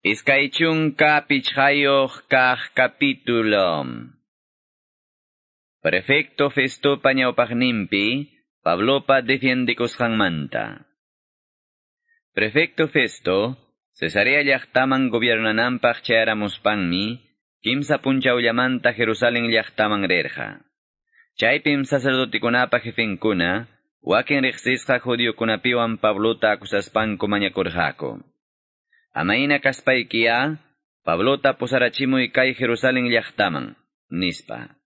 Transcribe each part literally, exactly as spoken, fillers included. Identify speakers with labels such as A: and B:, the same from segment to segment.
A: Iskay chunka pichqayuq kaq capítulo. Prefecto Festopa ñawpaqninpi, Pablopa defiendikusqanmanta. Prefecto Festo, Cesarea llaqtaman gobiernananpaq chayaramuspanmi, kimsa punchawllamanta Jerusalén llaqtaman rirqa. Chaypim sacerdotikunapa jefenkuna, wakin riqsisqa judiokunapiwan Pablota acusaspanku mañakurqaku. Amayna kaspaykiya, Pablota pusarachimuy kay Jerusalén llaqtaman, nispa.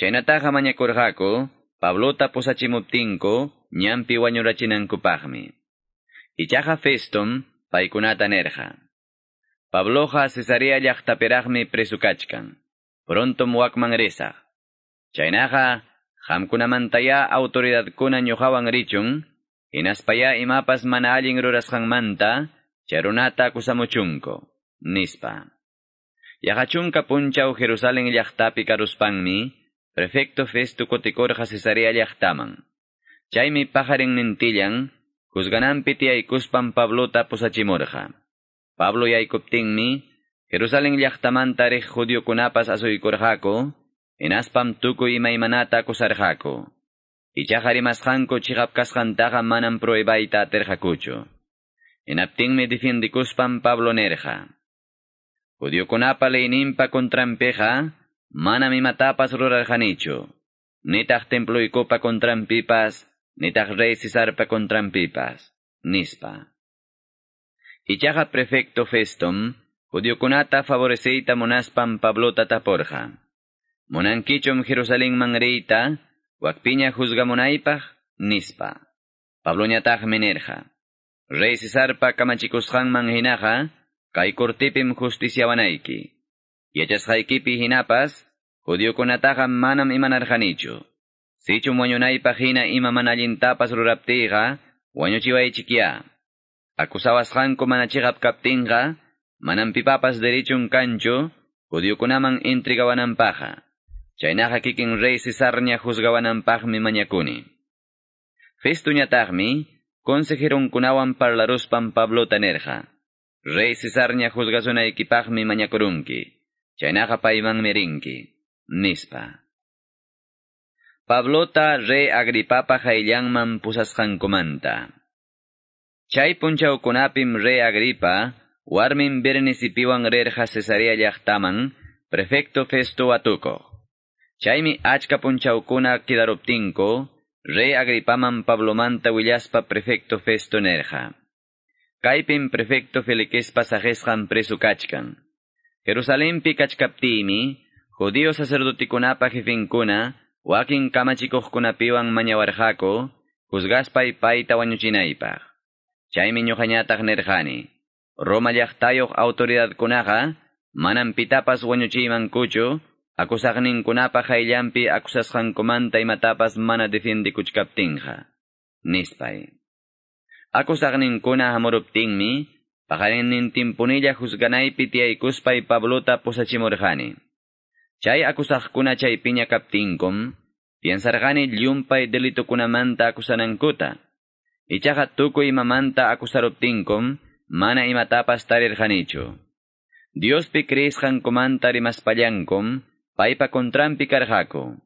A: Chaynataqa mañakurqaku, Pablota pusachimuptinku, ñanpi wañurachinankupaqmi. Ichaqa Festum, paykunata nirqa. Pabloqa Cesarea llaqtapiraqmi preso kachkan. Prontom wakman risaq. Chaynaqa, qamkunamantaya autoridadkuna ñuqawan richun, hinaspaya imapas mana allin rurasqanmanta, chay runata acusamuchunku, nispa. Yaqa chunka punchaw Jerusalén llaqtapi karuspanmi, prefecto Festo kutikurqa Cesarea llaqtaman. Chaymi paqarinnintillan, juzgananpi tiyaykuspan Pablota pusachimurqa. Pablo yaykuptinmi, Jerusalén llaqtamanta riq judiokunapas asuykurqaku, hinaspam tukuy imaymanata acusarqaku. Ichaqa rimasqanku chiqap kasqantaqa manam pruebayta atirqakuchu. Hinaptinmi defiendikuspan Pablo nirqa. Judiokunapa leyninpa contranpiqa, manam imatapas rurarqanichu. Nitaq temploykupa contranpipas, nitaq rey Cesarpa contranpipas, nispa. Ichaqa prefecto Festum, judiokunata favoreceyta munaspan Pablota tapurqa. Munankichum Jerusalenman riyta, wakpiña juzgamunaypaq, nispa. Pabloñataqmi nirqa. Rey Cesarpa kamachikusqanman hinaqa, kay cortipim justiciawanayki. Yachasqaykipi hinapas, judiokunataqa manam imanarqanichu. Sichum wañunaypaq hina ima mana allintapas ruraptiyqa, wañuchiwaychikya. Acusawasqanku mana chiqap kaptinqa, manam pipapas derechun kanchu, judiokunaman entregawananpaqqa. Chaynaqa kikin rey Cesarña juzgawananpaqmi mañakuni. Festuñataqmi, consejeronkunawan parlaruspan Pablota nirqa. Rey Cesarña juzgasunaykipaqmi mañakurunki. Chaynaqa paymanmi rinki, nispa. Pablota rey Agripapa qayllanman pusasqankumanta. Chay punchawkunapim rey Agripa, warmin Bernicipiwan rirqa Cesarea llaqtaman, prefecto Festo watukuq. Chaymi achka punchawkuna kidaruptinku, rey Agripaman Pablomanta willaspa prefecto Festo nirqa. Kaypim prefecto Felixpa saqisqan preso kachkan. Jerusalenpi kachkaptiymi, judío sacerdotikunapa jefenkuna, wakin kamachikuqkunapiwan mañawarqaku, juzgaspay payta wañuchinaypaq. Chaymi ñuqañataq nirqani, Roma llaqtayuq autoridadkunaqa, manam pitapas wañuchiymankuchu, acusaqninkunapa qayllanpi acusasqankumanta imatapas mana defiendikuchkaptinqa, nispay. Acusaqninkuna hamuruptinmi, paqarinnintinpunilla juzganaypi tiyaykuspay Pablota pusachimurqani. Chay acusaqkuna chaypiña kaptinkum, piensarqani llumpay delitukunamanta acusanankuta. Ichaqa tukuy imamanta acusaruptinkum, mana imatapas tarirqanichu. Diospi creesqankumanta rimaspallankum, paypa contranpi karqaku.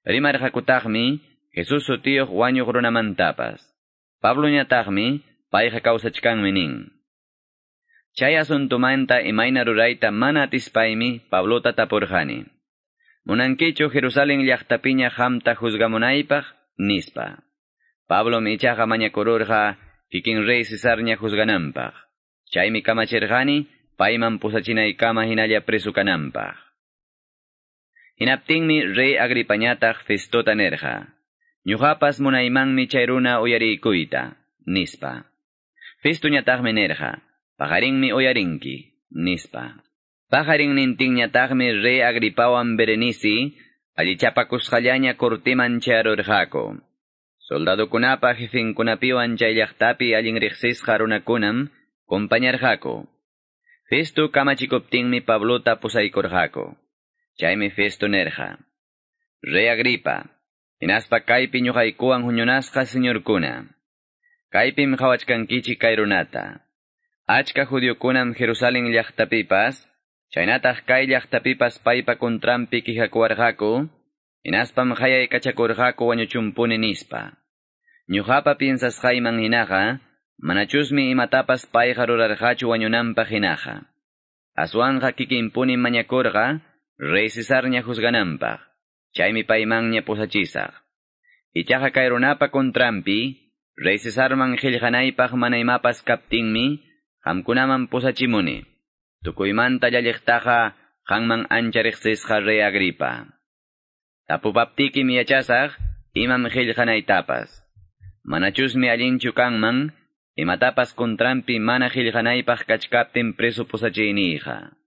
A: Rimarqakutaqmi, Jesús sutiyuq wañuq runamantapas. Pabloñataqmi, payqa kawsachkanmi nin. Chay asuntumanta imayna rurayta mana atispaymi Pablota tapurqani. Munankichu Jerusalén llaqtapiña qamta juzgamunaypaq, nispa. Pablom ichaqa mañakururqa kikin rey Cesarña juzgananpaq. Chaymi kamachirqani payman pusachinaykama hinalla preso kananpaq. Hinaptinmi rey Agripañataq Festota nirqa. Ñuqapas munaymanmi chay runa uyariykuyta, nispa. Festuñataqmi nirqa. Paqarinmi uyarinki, nispa. Paqarinnintinñataqmi rey Agripawan Berenice, allichapakusqallaña cortiman chayarurqaku. Soldadokunapa jefenkunapiwan chay llaqtapi allin riqsisqa runakunam compañarqaku. Festo kamachikuptinmi Pablota pusaykurqaku. Chaymi Festo nirqa. Rey Agripa, hinaspa kaypi ñuqaykuwan huñunasqa señorkuna. Kaypim qhawachkankichik kay runata. Achka judiokunam Jerusalén llaqtapipas, chaynataq kay llaqtapipas paypa kontranpi quejakuwarqaku, hinaspam qayaykachakurqaku wañuchunpuni nispa. Ñuqapa piensasqayman hinaqa, manachusmi imatapas payqa rurarqachu wañunanpaq hinaqa. Aswanqa kikinpuni mañakurqa, rey Cesarña juzgananpaq, chaymi paymanña pusachisaq. Ichaqa kay runapa kontranpi, rey Cesarman qillqanaypaq mana imapas kaptinmi, qamkunaman pusachimuni. Tukuymanta llalliqtaqa qanman ancha riqsisqa rey Agripa. Tapupaptikim yachasaq, imam qillqanaytapas. Manachusmi allinchu kanman, imatapas kontranpi mana qillqanaypaq kachkaptin preso pusachiyniyqa.